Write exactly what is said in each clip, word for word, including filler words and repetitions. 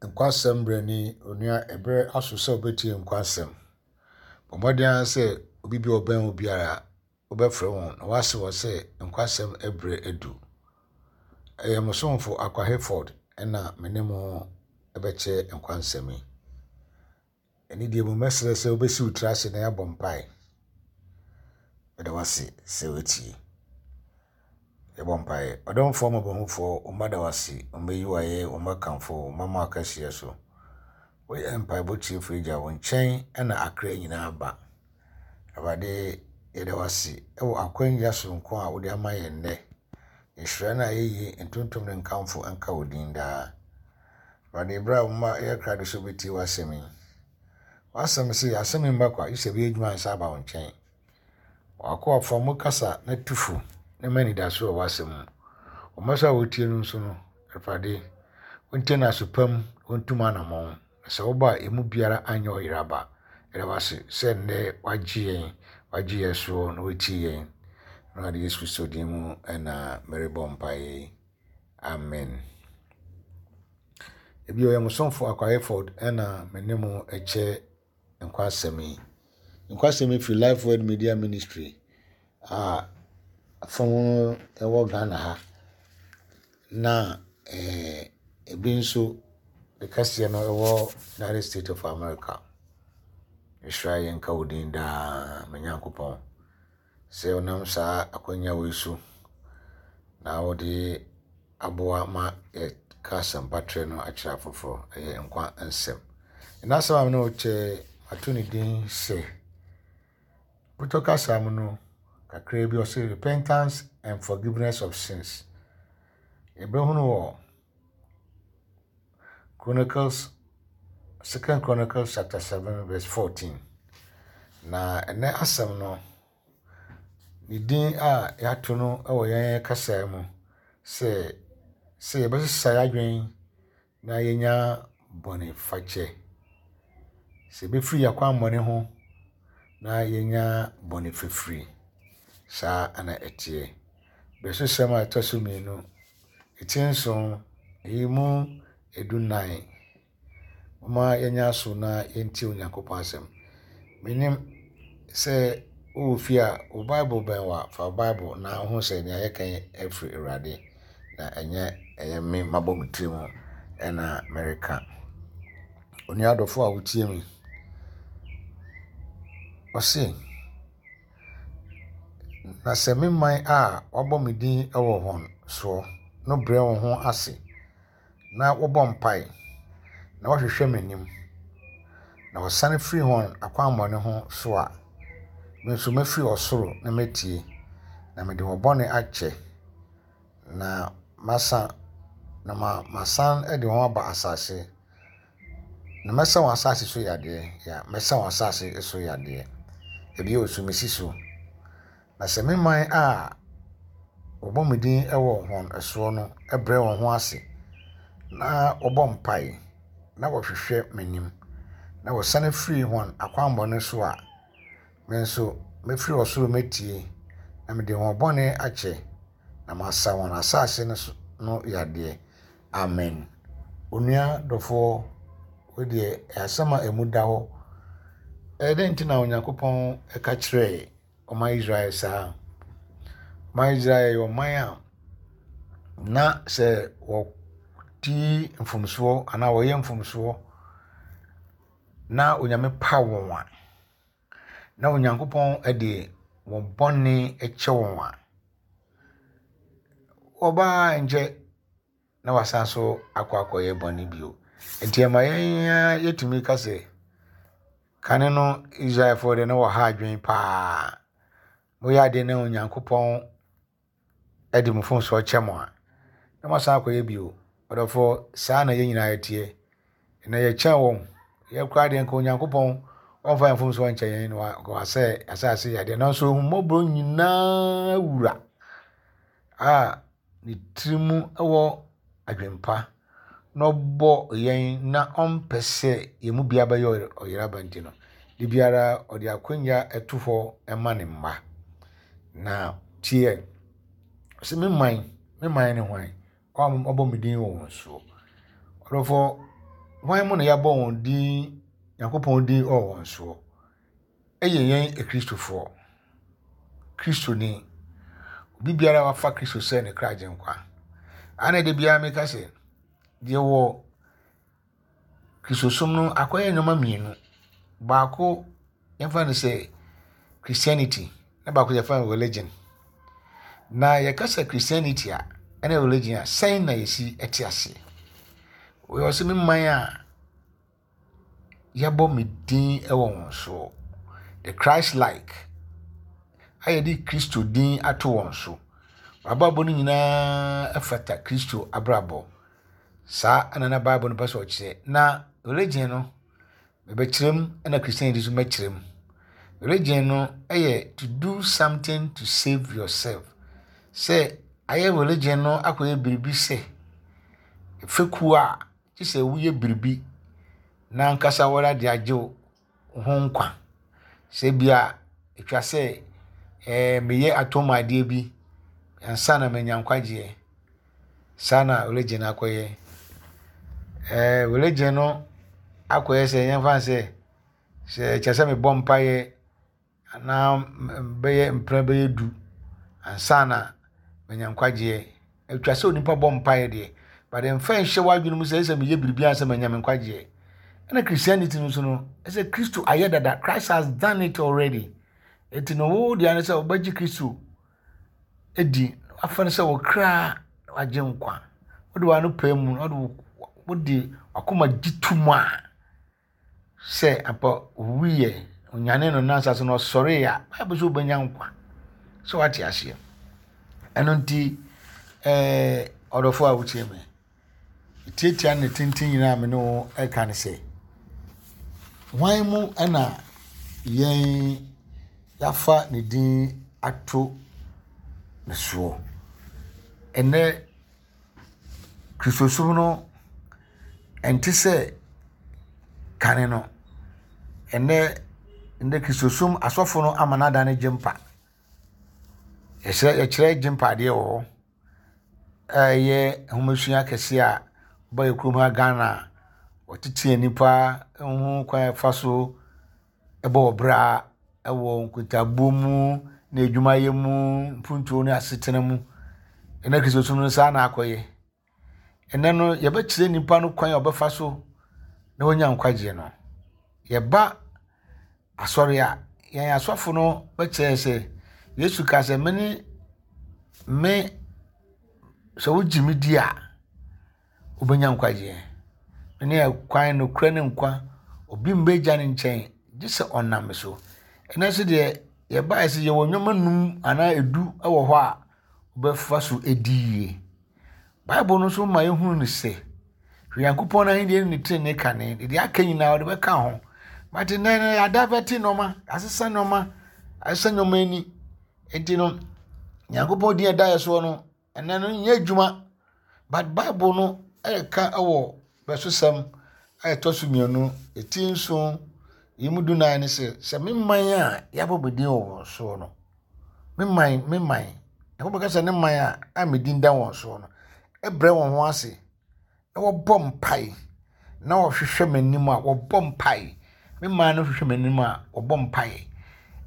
Nkwasɛm berɛ ni, onua ɛberɛ aso sɛ wobɛtie nkwasɛm. Bɔ mmɔden ara sɛ obi bi a ɔbɛn wo biara wobɛfrɛ wɔn na woase wɔn sɛ nkwasɛm berɛ adu. Ɛyɛ mo somfo Akwa Hayford ɛna me ne mo ɛbɛkyɛ nkwansɛm yi. Ɛne deɛ mu mɛsrɛ sɛ wobɛsi wo tiri ase na yɛabɔ mpae. Meda wo ase sɛ woatie. Yɛbɔ mpaeɛ. Ɔdomfoɔ mmɔborɔhunufoɔ, wo mma da wo ase, wo mma yi wo ayɛ, wo mma kamfo wo, wo mma ma wo kɛseɛ so. Woyɛ mpaebɔ tiefo Agya, wo nkyɛn na akra nyinaa ba. Awurade, yɛda wo ase wɔ akwanya soronko a wode ama yɛn nnɛ. Nhyira no a yɛyi ntontom ne nkamfo nka wo din daa. Awurade, berɛ a wo mma yɛ krado sɛ wobɛtie w'asɛm yi, w'asɛm se asɛm yi mma kwa, gye sɛ ɛbɛyɛ adwuma ansa aba wo nkyɛn. W'akoa fa mu kasa na tu fo na ma anidaso wɔ w'asɛm mu. Wo mma so a wɔtie no nso no, Awurade, wontie no aso pa mu, wontu mu anammɔn. Na sɛ woba a, emu biara anyɛ ɔyera ba. Yɛda wo ase sɛ nnɛ wagye yɛn, wagye yɛn soɔ na watie yɛn. Awurade Yesu Kristo din mu ɛna merebɔ mpaeɛ yi. Amen. Ebi ɔyɛ mo somfo Akwa Hayford ɛna me ne mo kyɛ nkwasɛm yi. Nkwasɛm yi firi Life Word Media Ministry a fam no ɛwɔ Ghana ha. Na eh, ebi nso ne kɛseɛ no ɛwɔ United States of America. Nhyira yɛn nka wo din daa, me Nyankopɔn. Sɛ ɔnam saa akwannya wei so na wode aboa ma yɛka asɛmpatrɛ no akyerɛ afoforɔ. Ɛyɛ nkwa nsɛm. Ɛna asɛm a me ne wo kyɛ ato ne din sɛ Putɔ kasa mu no kakra bi ɔsɛ repentance and forgiveness of sins. Yɛbɛhunu wɔ Chronicles, Second Chronicles chapter seven verse fourteen. Na ɛnɛ asɛm no, ne din a yɛato no wɔ yɛn kasa mu sɛ sɛ yɛbɛsesa yɛn adwene na yɛnya bɔne fakyɛ. Sɛ yɛbɛfiri yɛn akwammɔne ho na yɛnya bɔne fafiri. Saa ana ɛteɛ. Berɛsosɛm a ɛtɔ so mmienu, eti nson, ɛyi mu edunan. Momma yɛnyɛ aso na yɛntie Onyankopɔn asɛm. Menim sɛ wowɔ fie a wo Bible bɛn wo a, fa wo Bible na wohu sɛ nea yɛka yi afiri Awurade na ɛnyɛ ɛyɛ me mabɔ me tirim ɛna mereka. Onua adɔfo a wotie me, ɔse, na sɛ me man a wɔabɔ me din wɔ wɔn soɔ no brɛ wɔn ho ase na wɔbɔ mpae na wɔhwehwɛ m'anim na wɔsane firi wɔn akwammɔne ho so a, me nso mɛfiri ɔsoro na mɛtie na mede wɔn bɔne akyɛ na masa na ma masan de wɔn aba asase na mɛsa wɔn asase so yadeɛ. Ya, mɛsa wɔn asase so yadeɛ. Ebi wɔ so mesi so. Na sɛ me man a wɔbɔ me din wɔ wɔn soɔ no brɛ wɔn ho ase na wɔbɔ mpae na wɔhwehwɛ m'anim na wɔsane firi wɔn akwammɔne so a, me nso mɛfiri ɔsoro mɛtie na mede wɔn bɔne akyɛ na masa wɔn asase no so no yadeɛ. Amen. Onua dɔfoɔ, wei deɛ asɛm a emu da hɔ. Ɛyɛ dɛn nti na Onyankopɔn ɛka kyerɛɛ ɔman Israel saa? Ɔman Israel yɛ ɔman a na sɛ wɔdi mfomsoɔ anaa wɔyɛ mfomsoɔ na Onyame pa wɔn a, na Onyankopɔn de wɔn bɔne kyɛ wɔn a, wɔbaa nkyɛ na wasan so akɔ akɔyɛ bɔne bio. Nti ɛma yɛn ara yɛtumi ka sɛ kane no Israelfoɔ deɛ na wɔha adwene paa. Moyɛ adeɛ na Onyankopɔn de mo mfomsoɔ kyɛ mo a, na moasan akɔyɛ bio. Ɔdɔfoɔ, saa na yɛn nyinaa yɛteɛ. Na yɛkyɛn wɔn. Yɛn koraa deɛ nka Onyankopɔn ɔmfa yɛn mfomsoɔ nkyɛ yɛn na wasɛ asase yadeɛ. Nanso ahummɔborɔ nyinaa wura a ne tiri mu wɔ adwempa na ɔbɔ yɛn na ɔmpɛ sɛ yɛn mu biara bɛyɛ ɔyeraba nti no, de biara ɔde akonnwa to hɔ ma ne mma. Na tie, sɛ me man, me man ne hwan? Ɔbɔ me din wɔ wɔn soɔ. Ɔdɔfoɔ, Hwan mu na yɛabɔ wɔn din, Nyankopɔn din wɔ wɔn soɔ? Ɛyɛ yɛn Akristofoɔ. Kristoni. Obi biara a wafa Kristo sɛ ne kra agyenkwa. Ana da biara meka sɛ, deɛ wɔ Kristosom no akɔyɛ nneɛma mmienu. Baako yɛmfa no sɛ Christianity na baako yɛfa no religion. Na yɛka sɛ Christianity a ɛne religion a sɛn na yɛsi te aseɛ? Wɔyɛ ɔsɛ me man a yɛabɔ me din wɔ wɔn soɔ. The Christ like a yɛde Kristo din ato wɔn so. W'abrabɔ no nyinaa fata Kristo abrabɔ. Saa na na Bible no pɛ sɛ ɔkyerɛ. Na religion no, mebɛkyerɛ mu ɛna Christianity nso mɛkyerɛ mu. Religion no yɛ to do something to save yourself. Sɛ ayɛ religion no akɔyɛ biribi sɛ fekuo a gye sɛ woyɛ biribi na ankasa wɔde de agye wo ho nkwa. Sɛ bia etwa sɛ ɛɛ meyɛ atom adeɛ bi ansa na manya nkwagyeɛ. Saa na religion akɔyɛ. Ɛɛ religion no akɔyɛ sɛ yɛmfa no sɛ sɛ kyerɛ sɛ mebɔ mpaeɛ anaa bɛyɛ mprɛ bɛyɛ du ansa na manya nkwagyeɛ. Atwa sɛ onipa bɔ mpaeɛ deɛ, but mfa nhyɛ w'adwene mu sɛ ɛsɛ sɛ meyɛ biribi ansa manya me nkwagyeɛ. Ɛna Christianity no nso no, ɛsɛ Kristo ayɛ dada. Christ has done it already. Eti no wo deɛ ne sɛ wobɛgye Kristo edi afa no sɛ wo kra wagye nkwa. Wode w'ano pae mu na wode wode w'akoma gye to mu a sɛ ampa owuiɛ, onyane no nansa so na ɔsɔree a, Bible sɛ wobɛnya nkwa. Sɛ wate aseɛ. Ɛno nti ɛɛ ɔdɔfo a wotie me, tiatia ne tenten nyinaa me ne wo ɛka ne sɛ, hwan mu ɛna yɛn yɛafa ne din ato ne soɔ? Ɛnɛ Kristosom no ɛnte sɛ kane no. Ɛnɛ ɛnɛ Kristosom asɔfo no ama no adane gyempa. Yɛkyerɛ yɛkyerɛ gyempa adeɛ wɔ hɔ. Ɛyɛ nhomasua kɛseɛ a ɔba yɛ kurom ha Ghana a wɔtete nnipa ho kwan a ɛfa so ɛbɔ wɔ bra ɛwɔ nkontabuo mu ne adwumayɛ mu, mpuntuo ne asetena mu. Ɛnɛ Kristosom no saa na akɔyɛ. Ɛnɛ no yɛbɛkyerɛ nnipa no kwan a ɔbɛfa so na wanya nkwagyeɛ no. Yɛba asɔre a, yɛn asɔfo no bɛkyerɛ sɛ Yesu ka sɛ me ne me sɛ wogye me di a wobɛnya nkwagyeɛ. Me ne ɛkwan nokorɛ ne nkwa. Obi mba agya ne nkyɛn gye sɛ ɔnam me so. Ɛnɛ nso deɛ yɛbaeɛ sɛ yɛwɔ nneɛma num anaa edu wɔ hɔ a wobɛfa so edi yie. Bible no nso ma yɛhunu no sɛ hwɛ Nyankopɔn n'ahenni ne ne tenenee kane deɛ aka nyinaa ɔde bɛka ho. But nnɛ no yɛadavɛte nneɛma, yɛasesa nneɛma, asesa nneɛma ani. Nti no Nyankopɔn din a ɛda yɛ soɔ no ɛnɛ no nyɛ adwuma. But Bible no ɛreka ɛwɔ bɛsosɛm a ɛtɔ so mmienu, eti nson, yi mu dunan ne sɛ, sɛ me man a yɛabɔ me din wɔ wɔn soɔ no, me man, me man, Nyankopɔn ka sɛ ne man a a me din da wɔn soɔ no, ɛbrɛ wɔn ho ase na wɔbɔ mpae na wɔhwehwɛ m'anim a wɔbɔ mpae. Me man no hwehwɛ m'anim a wɔbɔ mpae.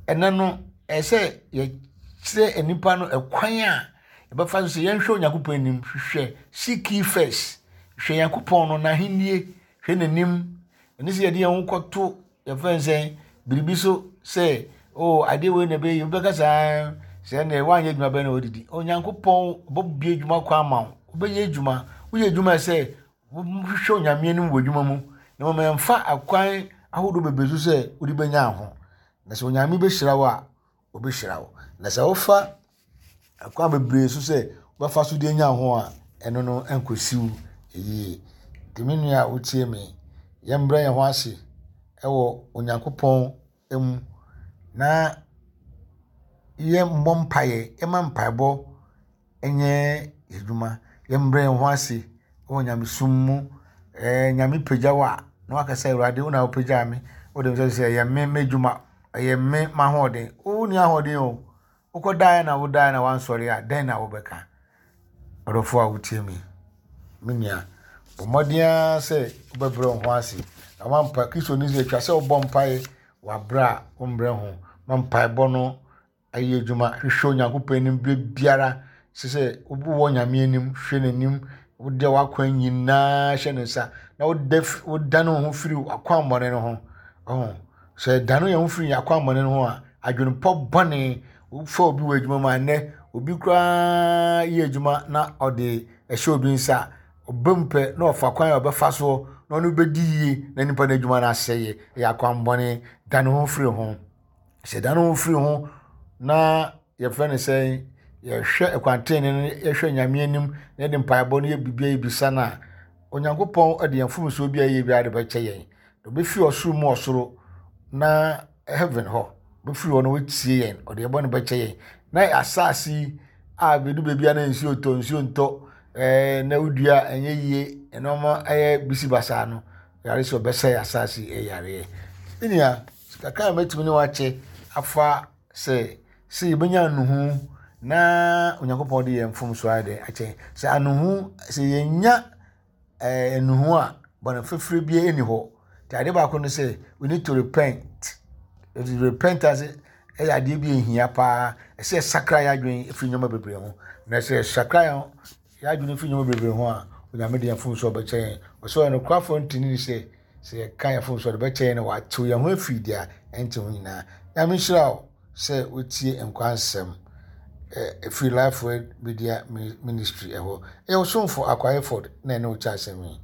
Ɛnɛ no, ɛyɛ sɛ yɛkyerɛ nnipa no ɛkwan a yɛbɛfa so sɛ yɛnhwɛ Onyankopɔn anim, hwehwɛ seek ye first. Hwɛ Nyankopɔn no n'ahennie, hwɛ n'anim. Ɛne sɛ yɛde yɛn ho kɔto yɛfrɛ no sɛ biribi so sɛ oh adeɛ wei na ɛbɛyɛ wobɛka saa sɛ ɛnɛ woanyɛ adwuma bɛn na wɔdidi. Onyankopɔn bɛbue adwuma kwan ama wo. Wobɛyɛ adwuma. Woyɛ adwuma sɛ wohwehwɛ Onyame anim wɔ adwuma mu na mmom ɛmfa akwan ahodoɔ bebree so sɛ wode bɛnya ho. Na sɛ Onyame bɛhyira wo a, ɔbɛhyira wo. Na sɛ wofa akwan bebree so sɛ wobɛfa so de anya ho a, ɛno no nkɔsi wo yie. Nti me nua a wotie me, yɛmbrɛ yɛn ho ase ɛwɔ Onyankopɔn mu na yɛmmɔ mpaeɛ, yɛmma mpaebɔ nyɛ adwuma. Yɛmbrɛ yɛn ho ase wɔ nyamesom mu. Ɛɛ Nyame pagya wo a, na waka sɛ Awurade wo na wopagyaa me. Wode me sɛ sɛ ɛyɛ me m'adwuma, ɛyɛ me m'ahoɔden. Wonni ahoɔden o. Wokɔdaeɛ na wodaeɛ na wansɔre a, dɛn na wobɛka? Ɔdɔfoɔ a wotie me, me nua, Bɔ mmɔden ara sɛ wobɛbrɛ wo ho ase. Na woampa Kristoni sɛ atwa sɛ wobɔ mpae wɔ aberɛ a wombrɛ ho. Ma mpaebɔ no ayɛ adwuma. Hwehwɛ Onyankopɔn anim berɛ biara. Sɛ sɛ wowɔ Nyame anim, hwɛ n'anim, wode w'akwan nyinaa hyɛ ne nsa na woda wodane wo ho firi w'akwammɔne no ho. Ɔho. Sɛ yɛdane yɛn ho firi yɛn akwammɔne no ho a, adwenepɔ bɔne, wofa obi wɔ adwuma mu a, nnɛ obi koraa yɛ adwuma na ɔde ɛhyɛ obi nsa a, ɔba mu pɛ na ɔfa kwan a ɔbɛfa soɔ na ɔno bɛdi yie na nipa no adwuma no asɛeɛ. Ɛyɛ akwammɔne. Dane ho firi ho. Sɛ dane ho firi ho na yɛfrɛ no sɛ yɛhwɛ ɛkwan no, yɛhwɛ Nyame anim na yɛde mpaebɔ no yɛ biribiara yɛbisa no a, Onyankopɔn de yɛn mfomsoɔ bi a yɛyɛ biara de bɛkyɛ yɛn. Ɔbɛfiri ɔsoro mu ɔsoro na heaven hɔ bɛfiri hɔ na watie yɛn, ɔde yɛn bɔne bɛkyɛ yɛn. Na asase yi a bɛdu baabi a na nsuo tɔ, nsuo ntɔ, ɛɛ na wodua a ɛnyɛ yie, nneɛma ɛyɛ bisi basaa no, yare sɛ ɔbɛsɛe asase yi ɛyareɛ. Me nua, kakra a mɛtumi ne wakyɛ afa sɛ sɛ yɛbɛnya anuhu na Onyankopɔn de yɛn mfomsoɔ ayɛ dɛn akyɛ yɛn. Sɛ anuhu, sɛ yɛnya ɛɛ anuhu a, bɔne fafiri biara nni hɔ. Nti adeɛ baako ne sɛ, we need to repent. Repentance ɛyɛ adeɛ bi a ehia paa. Ɛsɛ yɛsakra yɛn adwene firi nneɛma bebree ho. Na sɛ yɛsakra yɛn yɛn adwene firi nneɛma bebree ho a, Onyame de yɛn mfomsoɔ bɛkyɛ yɛn. Ɔsɛ ɔyɛ nokorɛfoɔ ntini ne sɛ, sɛ yɛka yɛn mfomsoɔ de bɛkyɛ yɛn na watew yɛn ho afiri deɛ ɛnte ho nyinaa. Nyame nhyira wo sɛ wotie nkwa nsɛm ɛfiri Life Word Media Ministry ɛhɔ. Ɛyɛ ɔsomfo Akwa Hayford na ɛne wo kyɛ asɛm yi.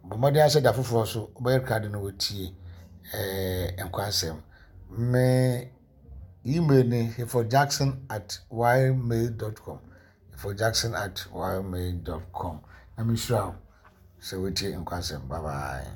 Bɔ mmɔden ara sɛ da foforɔ so wobɛyɛ krado na wotie ɛɛ nkwa nsɛm. Me email ne hayfordjackson at ymail dot com. hayfordjackson at ymail dot com. Nyame nhyira wo sɛ wotie nkwa nsɛm. Bye bye.